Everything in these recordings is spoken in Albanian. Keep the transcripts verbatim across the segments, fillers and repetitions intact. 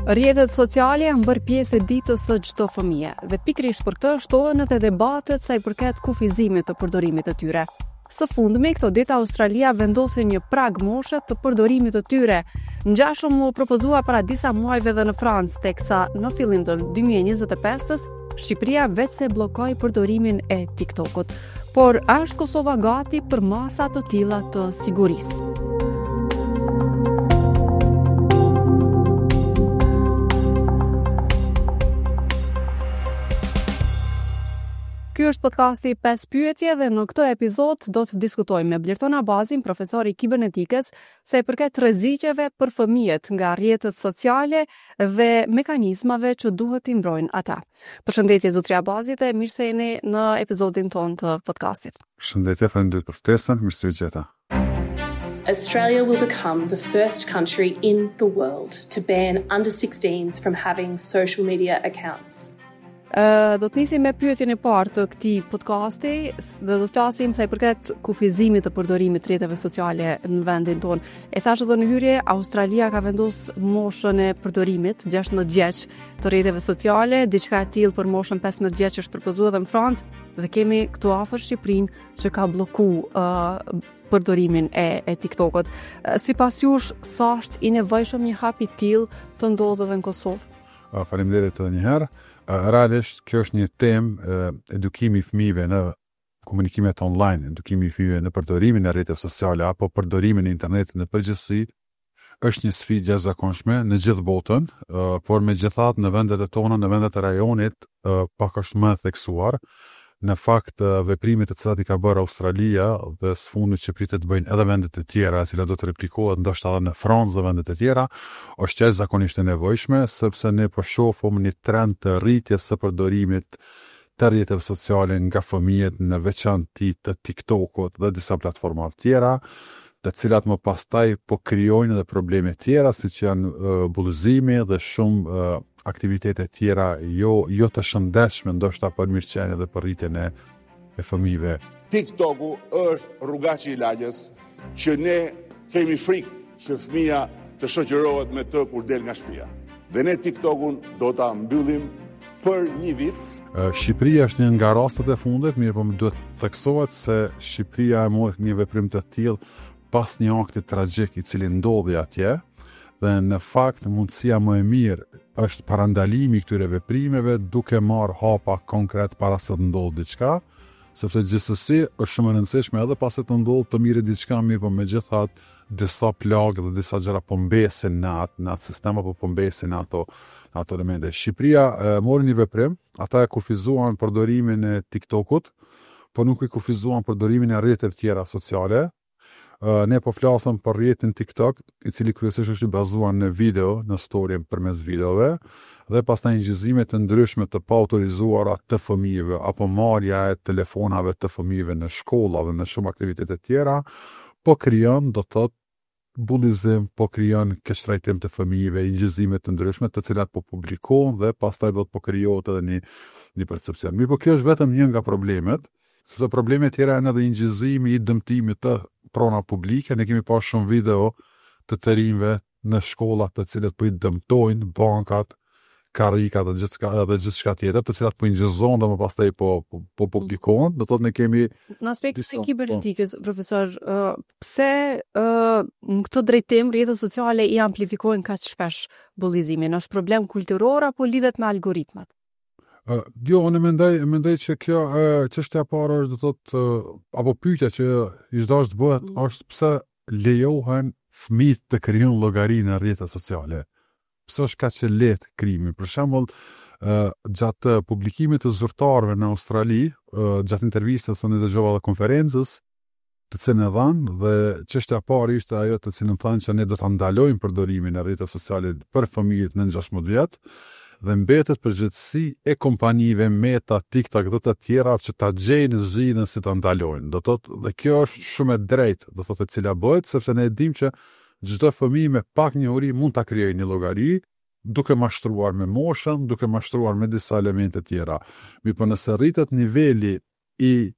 Rrjetet sociale janë bërë pjesë e ditës së çdo fëmije dhe pikërisht për këtë shtohen edhe debatet sa i përket kufizimit të përdorimit të tyre. Së fundmi, këto ditë Australia vendosi një prag moshe të përdorimit të tyre. Ngjashëm u propozua para disa muajve edhe në Francë, teksa në fillim të dy mijë e njëzet e pesës Shqipëria veçse bllokoi përdorimin e TikTokut. Por a është Kosova gati për masa të tilla të sigurisë? Ky është podcasti pesë pyetje dhe në këtë epizod do të diskutojmë me Blerton Abazin, profesor i kibernetikës, sa i përket rreziqeve për fëmijët nga rrjetet sociale dhe mekanizmave që duhet t'i mbrojnë ata. Përshëndetje zotri Abazi dhe mirë se jeni në episodin tonë të podcastit. Përshëndetje, faleminderit për ftesën, mirë se ju gjeta. Australia will become the first country in the world to ban under sixteens from having social media accounts. Ë, do të nisim me pyetjen e parë të këtij podcasti dhe do të flasim sa i përket kufizimit të përdorimit të rrjeteve sociale në vendin tonë. E thashë edhe në hyrje, Australia ka vendosur moshën e përdorimit gjashtëmbëdhjetë vjeç të rrjeteve sociale, diçka e tillë për moshën pesëmbëdhjetë vjeç është propozuar edhe në Francë dhe kemi këtu afër Shqipërinë që ka blloku, ë, përdorimin e, e TikTokut. Sipas jush, sa është i nevojshëm një hap i tillë të ndodhë edhe në Kosovë? Ë, Faleminderit edhe një herë. Realisht kjo është një temë, edukimi i fëmijëve në komunikimet online, edukimi i fëmijëve në përdorimin e rrjeteve sociale apo përdorimin e internetit në përgjithësi, është një sfidë jashtëzakonshme në gjithë botën, ë, por megjithatë në vendet e tona, në vendet e rajonit, ë, pak është më e theksuar. Në fakt, ë, veprimet të cilat i ka bërë Australia dhe së fundmi që pritet të bëjnë edhe vendet e tjera, e cila do të replikohet ndoshta edhe në Francë dhe vendet e tjera, është jashtëzakonisht e nevojshme, sepse ne po shohim një trend të rritjes së përdorimit të rrjeteve sociale nga fëmijët, në veçanti të TikTokut dhe disa platforma të tjera, të cilat më pastaj po krijojnë edhe probleme tjera, siç janë, ë, bullizimi dhe shumë, ë, aktivitete tjera jo, jo të shëndetshme ndoshta për mirëqenie dhe për rritjen e, e fëmijëve. TikToku është rrugaçi i lagjes që ne kemi frikë që fëmia të shoqërohet me të kur del nga shtëpia. Dhe ne TikTokun do ta mbyllim për një vit. Ë, Shqipëria është një nga rastet e fundit, mirë po më duhet të theksohet se Shqipëria e mori një veprim të tillë pas një akti tragjik i cili ndodhi atje, dhe në fakt mundësia më e mirë është parandalimi i këtyre veprimeve duke marrë hapa konkret para se të ndodhë diçka, sepse gjithsesi është shumë e rëndësishme edhe pasi të ndodhë të mirë diçka, mirë po megjithatë disa plagë dhe disa gjëra po mbesin në atë, në atë sistem apo po mbesin në ato, në ato elemente. Shqipëria, e, mori një veprim, ata e kufizuan përdorimin e TikTokut, po nuk i kufizuan përdorimin e rrjeteve tjera sociale. Ë, ne po flasim për rrjetin TikTok, i cili kryesisht është i bazuar në video, në story përmes videove, dhe pastaj inçizime të ndryshme të paautorizuara të fëmijëve apo marrja e telefonave të fëmijëve në shkolla dhe në shumë aktivitete tjera, po krijon, do të thotë, bullizim, po krijon keqtrajtim të fëmijëve, inçizime të ndryshme të cilat po publikohen dhe pastaj do të po krijohet edhe një, një percepcion. Mirë, po kjo është vetëm një nga problemet, sepse problemet tjera janë edhe inçizimi i dëmtimit të prona publike. Ne kemi parë shumë video të të rinjve në shkolla të cilët po i dëmtojnë bankat, karrikat dhe gjithçka, dhe gjithçka tjetër, të cilat po inçizohen dhe më pastaj po, po, po publikohen. Do thotë ne kemi Në aspektin disa, e po. kibernetikës, profesor, ë, pse, ë, në këtë drejtim rrjetet sociale i amplifikojnë kaq shpesh bullizimin? Është problem kulturor apo lidhet me algoritmat? Ë, jo, unë mendoj, mendoj që kjo, ë, çështja e parë është, do thotë, ë, apo pyetja që i çdo të bëhet Mm. është pse lejohen fëmijët të krijojnë llogari në rrjetet sociale. Pse është kaq e lehtë krimi? Për shembull, ë, gjatë publikimit të zyrtarëve në Australi, ë, gjatë intervistës unë dëgjova edhe konferencës, të cilën e dhanë, dhe çështja e parë ishte ajo të cilën thanë që ne do ta ndalojmë përdorimin e rrjeteve sociale për fëmijët nën gjashtëmbëdhjetë vjet, dhe mbetet përgjegjësi e kompanive Meta, TikTok dhe të tjera që ta gjejnë zgjidhjen si ta ndalojnë. Do thotë, dhe kjo është shumë e drejtë, do thotë e cila bëhet, sepse ne e dimë që çdo fëmijë me pak njohuri mund ta krijojë një llogari, duke mashtruar me moshën, duke mashtruar me disa elemente tjera. Mirë, po nëse rritet niveli i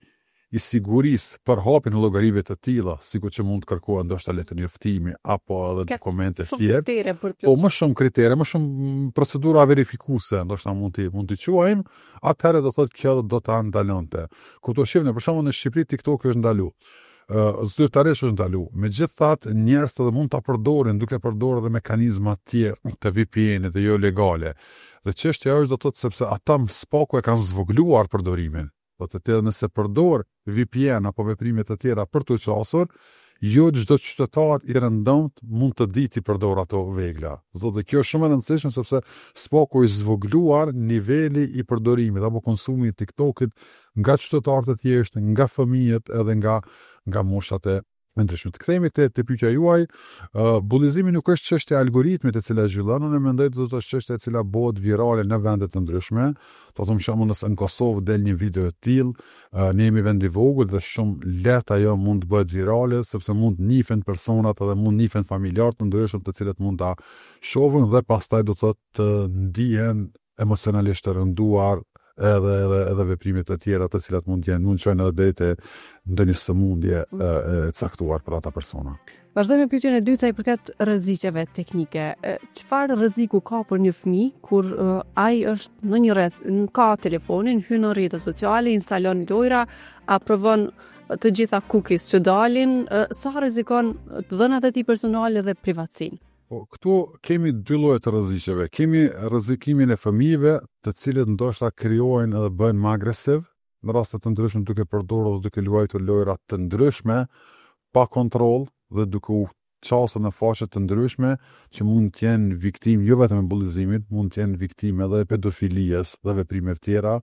i sigurisë për hapjen e llogarive të tilla, sikur që mund të kërkohen ndoshta letërnjoftimi apo edhe dokumente të tjera. Po më shumë kritere, më shumë procedura verifikuese, ndoshta mund t'i mund t'i quajmë, atëherë do thotë kjo do ta ndalonte. Kupto shihni, për shembull në Shqipëri TikTok është ndalu. Uh, zyrtarisht është ndalu. Megjithatë, njerëzit edhe mund ta përdorin duke përdorur edhe mekanizma të tjerë të V P N-it dhe jo legale. Dhe çështja është do thotë sepse ata së paku e kanë zvogëluar përdorimin. Do të thotë nëse përdor V P N apo veprime të tjera për të qasur, jo çdo qytetar i rëndomt mund të di t'i përdor ato vegla. Do thotë kjo është shumë e rëndësishme sepse së paku është zvogëluar niveli i përdorimit apo konsumit i TikTokit nga qytetarët e thjeshtë, nga fëmijët edhe nga nga moshat e ndryshme. Të kthehemi te, te pyetja juaj, uh, bullizimi nuk është çështje e algoritmit e cila zhvillon, unë mendoj do të është çështje e cila bëhet virale në vende të ndryshme. Do të them shembull nëse në Kosovë del një video e tillë, uh, ne jemi vend i vogël dhe shumë lehtë ajo mund të bëhet virale sepse mund të njihen personat edhe mund të njihen familjarë të ndryshëm të cilët mund ta shohin dhe pastaj do të thotë të ndihen emocionalisht të rënduar edhe, edhe, edhe veprime të tjera të cilat mund të jenë, mund të çojnë edhe deri te ndonjë sëmundje e, e caktuar për ata persona. Vazhdojmë me pyetjen e dytë sa i përket rreziqeve teknike. Çfarë rreziku ka për një fëmijë kur uh, ai është në një rreth, ka telefonin, hyn në rrjetet sociale, instalon lojra, aprovon të gjitha cookies që dalin, uh, sa rrezikon të dhënat e tij personale dhe privatësinë? Po, këtu kemi dy lloje të rreziqeve. Kemi rrezikimin e fëmijëve, të cilët ndoshta krijojnë edhe bëhen më agresiv në raste të ndryshme duke përdorur dhe duke luajtur lojra të ndryshme pa kontroll dhe duke u qasur në faqe të ndryshme që mund të jenë viktimë jo vetëm e bullizimit, mund të jenë viktimë edhe e pedofilisë dhe veprimeve tjera,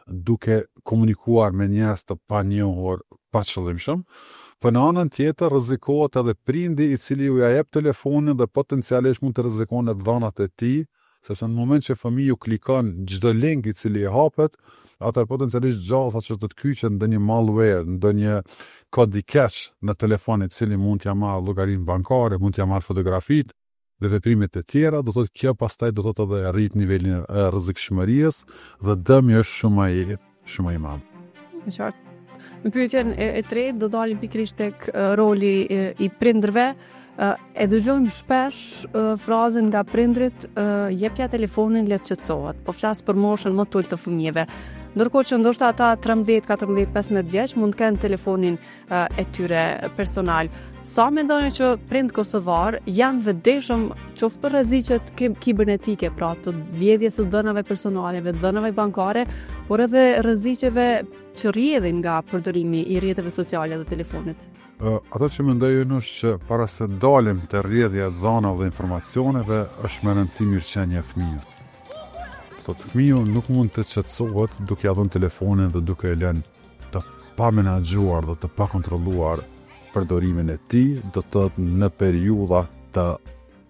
duke komunikuar me njerëz të panjohur paqëllimshëm. Po në anën tjetër rrezikohet edhe prindi i cili u ja jep telefonin dhe potencialisht mund të rrezikon edhe dhënat e tij, sepse në moment që fëmiu klikon çdo link i cili i hapet, atëherë potencialisht gjasa që do të kyçet ndonjë malware, ndonjë kod i keq në telefon i cili mund t'ja marrë llogarinë bankare, mund t'ja marrë fotografitë dhe veprimet e tjera, do thotë kjo pastaj do thotë edhe rrit nivelin e rrezikshmërisë dhe dëmi është shumë më i, shumë më i madh. E qartë. Në pyetjen e, e tretë do dalim pikërisht tek roli e, i prindërve. E dëgjojmë shpesh frazën nga prindrit, jepja telefonin le të qetësohet. Po flas për moshën më të ulët të fëmijëve. Ndërkohë që ndoshta ata trembëdhjetë, katërmbëdhjetë, pesëmbëdhjetë vjeç mund të kenë telefonin e tyre personal. Sa mendoni që prind kosovar janë vetëdijshëm qoftë për rreziqet kibernetike, pra të vjedhjes së dhënave personale, të dhënave bankare, por edhe rreziqeve që rrjedhin nga përdorimi i rrjeteve sociale dhe telefonit? Uh, ato që mendoj unë është që para se dalim te rrjedhja e dhënave dhe informacioneve, është më rëndësi mirëqenia e fëmijës. Thotë, fëmiu nuk mund të qetësohet duke ia dhënë telefonin dhe duke e lënë të pa menaxhuar dhe të pa kontrolluar përdorimin e tij, do të thotë në periudha të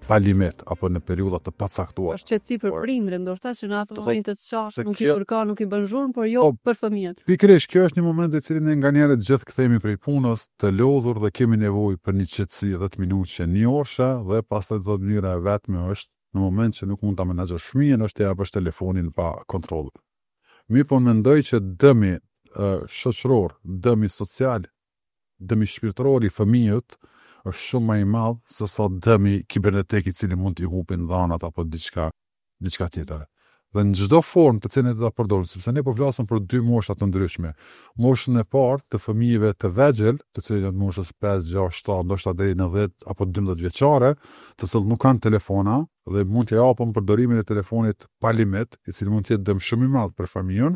pa limit apo në periudha të pacaktuara. Është qetësi për prindrin, ndoshta që në atë moment të çast nuk i kërkon, nuk i bën zhurmë, por jo po, për fëmijët. Pikërisht, kjo është një moment i cili ne nganjëherë gjithë kthehemi prej punës, të lodhur dhe kemi nevojë për një qetësi dhjetë minutë, një orë dhe pastaj do të thotë mënyra e vetme është në moment që nuk mund ta menaxhosh fëmijën, është t'ia japësh telefonin pa kontroll. Mirë, po mendoj që dëmi uh, shoqëror, dëmi social, dëmi shpirtëror i fëmijët është shumë më i madh se sa dëmi kibernetik i cili mund t'i hupin dhanat apo diçka, diçka tjetër. Dhe në çdo formë të cilën do ta përdorim, sepse ne po flasim për dy mosha të ndryshme. Moshën e parë të fëmijëve të vegjël, të cilët janë moshës pesë, gjashtë, shtatë, ndoshta deri në dhjetë apo dymbëdhjetë vjeçare, të cilët nuk kanë telefona dhe mund t'ia japim përdorimin e telefonit pa limit, i cili mund të jetë dëm shumë i madh për fëmijën.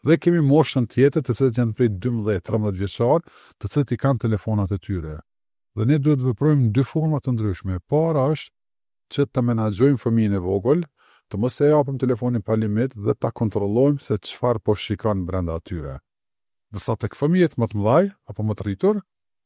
Dhe kemi moshën tjetër, të cilët janë prej dymbëdhjetë, trembëdhjetë vjeçar, të cilët i kanë telefonat e tyre. Dhe ne duhet të veprojmë në dy forma të ndryshme. E para është që të menaxhojmë fëmijën e vogël, të mos e japim telefonin pa limit dhe ta kontrollojmë se çfarë po shikon brenda atyre. Ndërsa tek fëmijët më të mëdhaj apo më të rritur,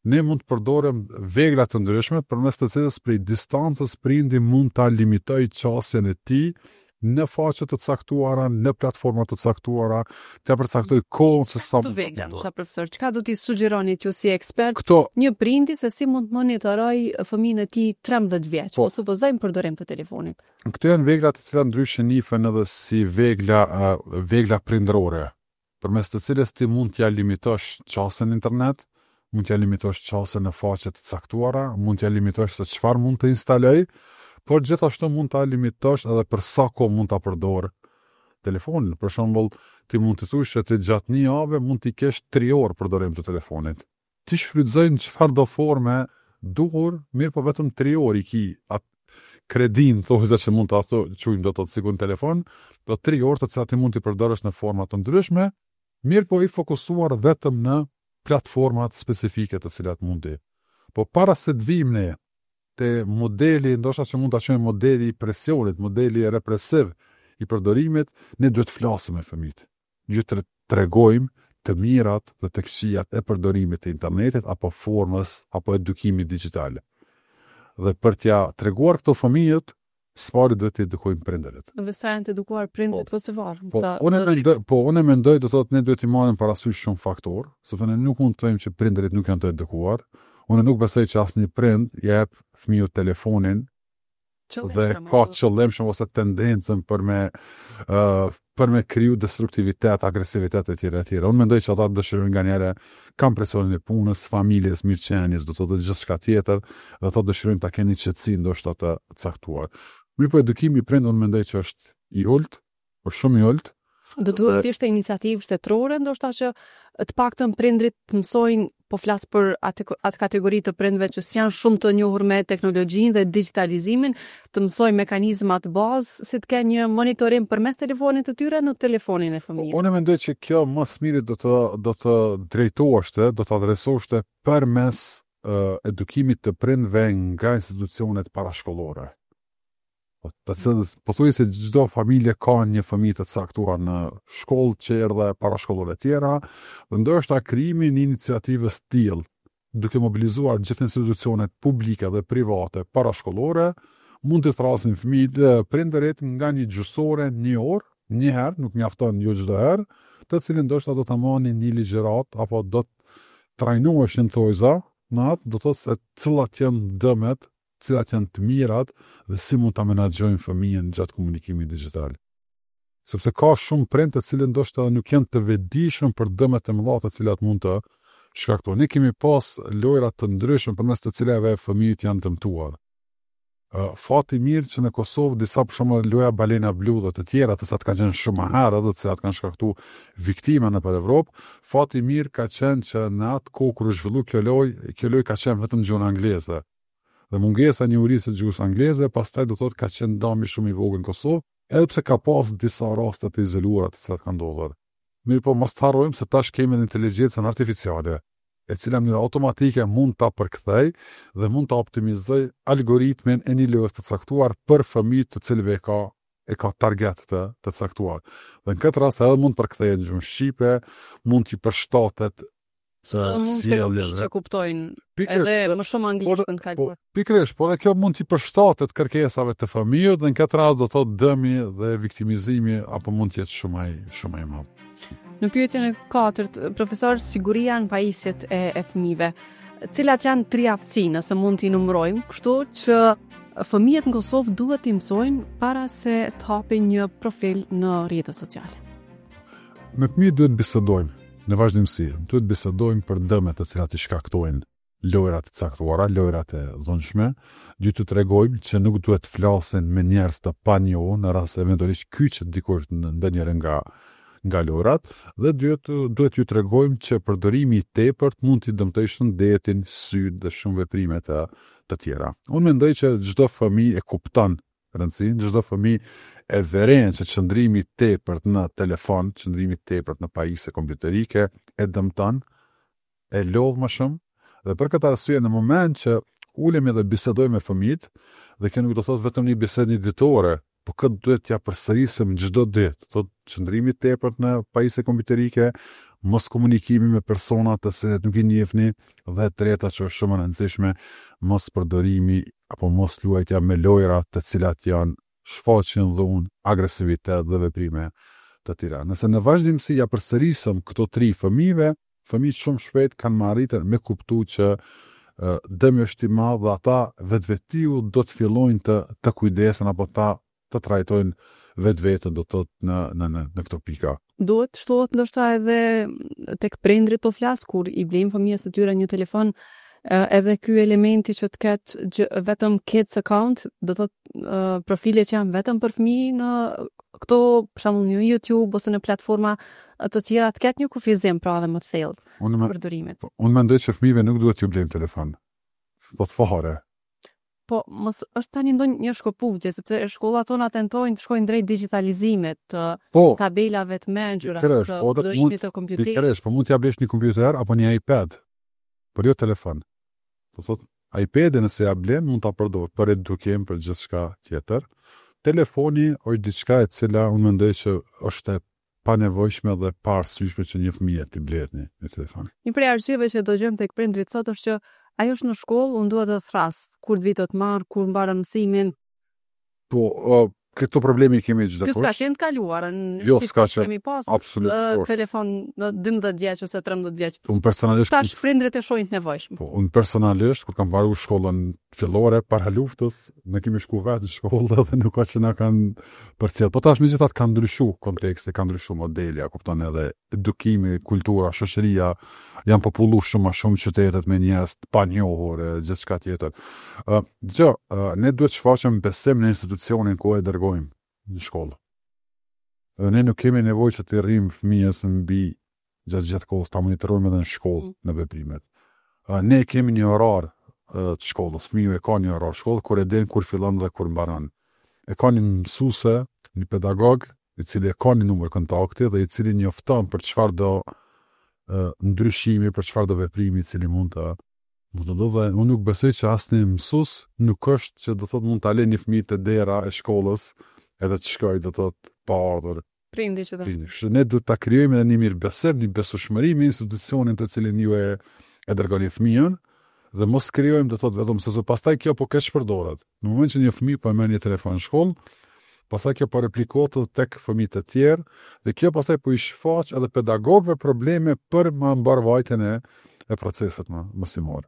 ne mund të përdorim vegla të ndryshme përmes të cilës prej distancës prindi mund ta limitojë qasjen e tij në faqe të caktuara, në platforma të caktuara, t'ia përcaktoj kohën se sa Të mund të vegla, përdor. sa profesor, çka do t'i sugjeroni ju si ekspert Këto një prindi se si mund të monitoroj fëmijën e tij trembëdhjetë vjeç, Po. po supozojmë përdorim të telefonit. Këto janë vegla të cilat ndryshe njihen edhe si vegla, eh, vegla prindrore. Përmes të cilës ti mund t'ja limitosh qasjen në internet, mund t'ja limitosh qasjen në faqe të caktuara, mund t'ja limitosh se çfarë mund të instaloj, por gjithashtu mund ta limitosh edhe për sa kohë mund ta përdor telefonin. Për shembull, ti mund të thuash që ti gjatë një jave mund t'i kesh tri orë përdorim të telefonit. Ti shfrytëzoj në çfarë do forme duhur, mirë po vetëm tri orë i ki atë kredin, thotë që mund ta quajmë do të thotë sikur në telefon, do tri orë të cilat ti mund t'i përdorësh në forma të ndryshme, mirë po i fokusuar vetëm në platformat specifike të cilat mund ti. Po para se të vijmë ne te modeli, ndoshta që mund ta quajmë modeli i presionit, modeli represiv i përdorimit, ne duhet të flasim me fëmijët. Duhet të tregojmë të mirat dhe të këqijat e përdorimit të internetit apo formës apo edukimit digjital. Dhe për t'ja treguar këto fëmijët, s'pari duhet të edukojmë prindërit. Dhe sa janë të edukuar prindërit, po, po se varë. Po, unë mendoj, po unë mendoj do thotë ne duhet të marrim parasysh shumë faktor, sepse ne nuk mund të themi që prindërit nuk janë të edukuar. Unë nuk besoj që asnjë prind i jep fëmijës telefonin dhe ka qëllim shumë ose tendencën për me uh, për me kriju destruktivitet, agresivitet e tjera e tjera. Unë mendoj që ata dëshirojnë nganjëherë kanë presionin e punës, familjes, mirëqenies, do të thotë gjithçka tjetër, dhe ata dëshirojnë ta kenë një qetësi ndoshta të caktuar. Mirë po edukimi i prindërve unë mendoj që është i ulët, por shumë i ulët. Do duhet të ishte iniciativë shtetërore, ndoshta që të paktën prindrit të mësojnë, po flas për atë atë kategori të prindve që s'janë shumë të njohur me teknologjinë dhe digjitalizimin, të mësojnë mekanizmat bazë si të kenë një monitorim përmes telefonit të tyre në telefonin e fëmijës. Unë mendoj që kjo më së miri do të do të drejtoheshte, do të adresoheshte përmes uh, edukimit të prindve nga institucionet parashkollore. Po, të cilët pothuajse çdo familje ka një fëmijë të caktuar në shkollë, çerdhe, parashkollore e tjera, dhe ndoshta krijimi i një iniciative të tillë, duke mobilizuar gjithë institucionet publike dhe private parashkollore, mund të thrasin fëmijët, prindërit nga një gjysore, një orë, një herë, nuk mjafton jo çdo herë, të cilin ndoshta do ta marrin një ligjërat apo do të trajnoheshin thojza në atë, do të thotë se cilat janë dëmet, cilat janë të mirat dhe si mund ta menaxhojnë fëmijën gjatë komunikimit digjital. Sepse ka shumë prind të cilët ndoshta edhe nuk janë të vetëdijshëm për dëmet e mëdha të cilat mund të shkaktojnë. Ne kemi pas lojra të ndryshme përmes të cilave fëmijët janë dëmtuar. Fati mirë që në Kosovë disa për shembull loja Balena Blu dhe të tjera, të cilat kanë qenë shumë më herët dhe të cilat kanë shkaktuar viktima nëpër Evropë, fati mirë ka qenë që në atë kohë kur u zhvillu kjo lojë, kjo lojë ka qenë vetëm në gjuhën angleze. Dhe mungesa e njohurisë së gjuhës angleze pastaj do thotë ka qenë dëmi shumë i vogël në Kosovë, edhe pse ka pas disa raste të izoluara të cilat kanë ndodhur. Mirë po mos të harrojmë se tash kemi edhe inteligjencën artificiale, e cila në mënyrë automatike mund ta përkthej dhe mund ta optimizoj algoritmin e një lojës të caktuar për fëmijët të cilëve e ka e ka target të, të caktuar. Dhe në këtë rast edhe mund të përkthehet në gjuhën shqipe, mund t'i përshtatet Se sjellje që kuptojnë edhe më shumë anglisht në kaluar. Po, pikërisht, por edhe kjo mund t'i përshtatet kërkesave të fëmijës dhe në këtë rast do thotë dëmi dhe viktimizimi apo mund të jetë shumë ai shumë i madh. Në pyetjen e katërt, profesor, siguria në pajisjet e, e fëmijëve. Cilat janë tri aftësi, nëse mund t'i numërojmë, kështu që fëmijët në Kosovë duhet t'i mësojnë para se të hapin një profil në rrjetet sociale? Me fëmijët duhet bisedojmë në vazhdimësi, duhet bisedojmë për dëmet të cilat i shkaktojnë lojrat të caktuara, lojrat e dhunshme, duhet të tregojmë që nuk duhet të flasin me njerëz të panjohur në rast se eventualisht kyçet dikush në ndonjërin nga nga lojrat, dhe duhet duhet ju tregojmë që përdorimi i tepërt mund t'i dëmtojë shëndetin, sytë dhe shumë veprime të, të tjera. Unë mendoj që çdo fëmijë e kupton rëndësinë, çdo fëmijë e vëren që qëndrimi i tepërt në telefon, qëndrimi i tepërt në pajisje kompjuterike e dëmton, e lodh më shumë, dhe për këtë arsye në moment që ulemi dhe bisedojmë me fëmijët, dhe kjo nuk do thotë vetëm një bisedë një ditore, po këtë duhet t'ja përsërisim çdo ditë. Thotë qëndrimi i tepërt në pajisje kompjuterike, mos komunikimi me persona të cilët nuk i njihni, dhe e treta që është shumë e rëndësishme, mos përdorimi apo mos luajtja me lojra të cilat janë shfaqin dhunë, agresivitet dhe veprime të tjera. Nëse në vazhdimësi ja përsërisëm këto tri fëmijëve, fëmijët shumë shpejt kanë më arritur me kuptu që uh, dëmi është i madh dhe ata vetvetiu do të fillojnë të të kujdesen apo ta të trajtojnë vetveten, do të thotë në në në në këto pika. Duhet shtohet ndoshta edhe tek prindrit po flas kur i blejnë fëmijës së tyre një telefon, edhe ky elementi që të ketë gjë, vetëm kids account, do thotë profile që janë vetëm për fëmijë në këto, për shembull në YouTube ose në platforma të tjera, të ketë një kufizim pra edhe më të thellë Unë me, përdorimit. po, unë mendoj që fëmijëve nuk duhet t'ju blejmë telefon. Thot fare. Po, mos është tani ndonjë një shkëputje, sepse shkollat tona tentojnë të shkojnë drejt digjitalizimit, të Po, tabelave të mençura, Pikërisht, të po, dhe përdorimit të kompjuterit. pikërisht, po mund t'ja blesh një kompjuter apo një iPad, por jo telefon. Po thot, iPad-in nëse ja blen mund ta përdor për edukim, për gjithçka tjetër. Telefoni është diçka e cila unë mendoj që është e panevojshme dhe paarsyeshme që një fëmijë t'i blehet një, një telefon. Një prej arsyeve që dëgjojmë tek prindrit sot është që ajo është në shkollë, unë dua të thras, kur të vi të të marr, kur mbaron mësimin. Po, uh, këto probleme i kemi çdo Ky s'ka kush. qenë të kaluarën. Jo, s'ka qenë. Kemi pas Absolutisht. ë, telefon në dymbëdhjetë vjeç ose trembëdhjetë vjeç. Unë personalisht Tash prindrit e shohin të nevojshme. Po, unë personalisht, kur kam mbaruar shkollën fillore, para luftës, ne kemi shku vetë në shkollë dhe nuk ka që na kanë përcjell. Po tash megjithatë ka ndryshu konteksti, ka ndryshu modeli, a kupton, edhe edukimi, kultura, shoqëria janë popullu shumë më shumë qytetet me njerëz të panjohur e gjithçka tjetër. Ë, gjë, ë, ne duhet shfaqim besim në institucionin ku e dërgojmë në shkollë. Dhe ne nuk kemi nevojë që t'i rrim fëmijës mbi gjatë gjithë kohës, ta monitorojmë edhe në shkollë Mm. në veprimet. Ë, ne kemi një orar ë, të shkollës, fëmiu e ka një orar shkollë kur e din kur fillon dhe kur mbaron. E ka një mësuese, një pedagog, i cili e ka një numër kontakti dhe i cili njofton për çfarë do ë, ndryshimi, për çfarë do veprimi i cili mund të mund të ndodhë. Dhe unë nuk besoj që asnjë mësues nuk është që do thotë mund ta lë një fëmijë te dera e shkollës edhe të shkojë do thotë pa ardhur Prindi që të prindi. Kështu që ne duhet ta krijojmë edhe një mirëbesim, një besueshmëri me institucionin të cilin ju e e dërgoni fëmijën dhe mos krijojmë do thotë vetëm se pastaj kjo po keq përdoret. Në moment që një fëmijë po e merr një telefon në shkollë, pastaj kjo po replikohet edhe tek fëmijët e tjerë dhe kjo pastaj po i shfaq edhe pedagogëve probleme për më mbarvajtjen e e procesit më mësimor.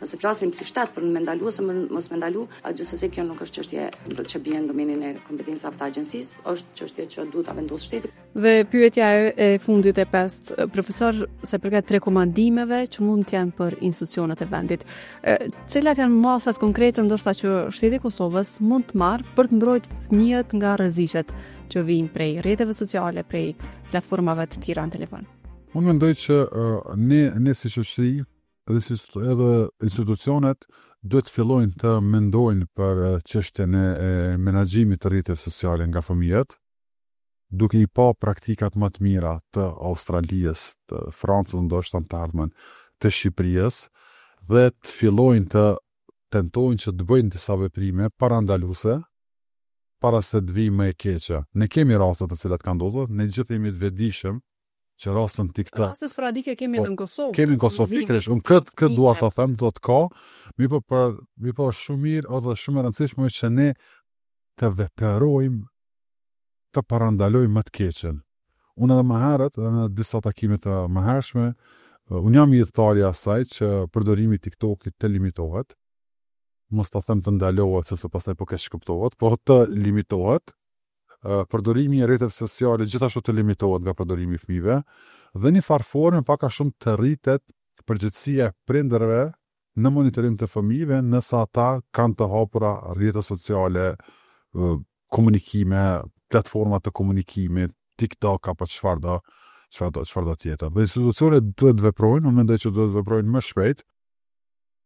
Nëse flasim si shtet për me ndalu ose më- mos me ndalu, a gjithsesi kjo nuk është çështje që bie në domenin e kompetencave të agjencisë, është çështje që duhet ta vendosë shteti. Dhe pyetja e, e fundit e pestë, profesor, sa i përket rekomandimeve që mund të jenë për institucionet e vendit, e, cilat janë masat konkrete ndoshta që shteti i Kosovës mund të marrë për të mbrojtur fëmijët nga rreziqet që vijnë prej rrjeteve sociale, prej platformave të tjera në telefon? Unë mendoj që uh, ne ne si shoqëri edhe si edhe institucionet duhet të fillojnë të mendojnë për eh, çështjen e, e menaxhimit të rrjeteve sociale nga fëmijët, duke i pa praktikat më të mira të Australisë, të Francës ndoshta në të ardhmen, të Shqipërisë dhe të fillojnë të tentojnë që të bëjnë disa veprime parandaluese para se të vijë më e keqe. Ne kemi raste të cilat kanë ndodhur, ne gjithë jemi të vetëdijshëm që rastën TikTok Raste sporadike kemi Po, edhe në Kosovë. Kemi në Kosovë Zimi. pikërisht, unë këtë këtë dua ta them, do të ka, mi po për mi po është shumë mirë edhe shumë e rëndësishme është që ne të veprojmë të parandalojmë më të keqen. Unë edhe më herët, edhe në disa takime të mëhershme, eh, unë jam ithtar i asaj që përdorimi i TikTokit të limitohet. Mos ta them të ndalohet sepse pastaj po keq kuptohet, po të limitohet. Eh, Përdorimi i rrjeteve sociale gjithashtu të limitohet nga përdorimi i fëmijëve dhe një farë forme pak a shumë të rritet përgjegjësia e prindërve në monitorim të fëmijëve nëse ata kanë të hapura rrjete sociale, ë, komunikime, platforma të komunikimit, TikTok apo çfarë do, çfarë do, çfarë do tjetër. Dhe institucionet duhet të veprojnë, unë mendoj që duhet të veprojnë më shpejt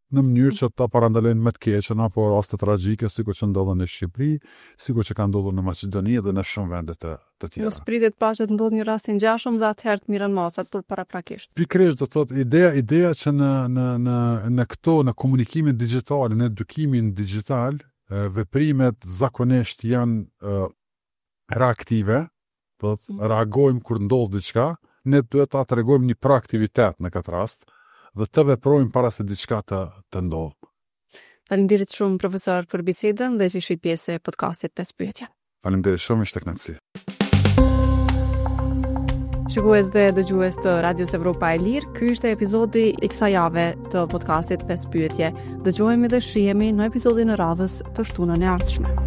në mënyrë që ta parandalojnë më të keqen apo raste tragjike sikur që ndodhen në Shqipëri, sikur që kanë ndodhur në Maqedoni dhe në shumë vende të të tjera. Mos pritet pa që të ndodhë një rast i ngjashëm dhe atëherë të mirren masat për paraprakisht. Pikërisht do thotë ideja ideja që në në në në këto në komunikimin digital, në edukimin digital, e, veprimet zakonisht janë e, reaktive, do thotë Mm. reagojmë kur ndodh diçka, ne duhet ta tregojmë një proaktivitet në këtë rast dhe të veprojmë para se diçka të të ndodhë. Faleminderit shumë profesor për bisedën dhe që ishit pjesë e podcastit pesë pyetje. Faleminderit shumë, ishte kënaqësi. Shikues dhe dëgjues të Radios Evropa e Lirë, ky ishte epizodi i kësaj jave të podcastit pesë pyetje. Dëgjohemi dhe shihemi në episodin e radhës të shtunën e ardhshme.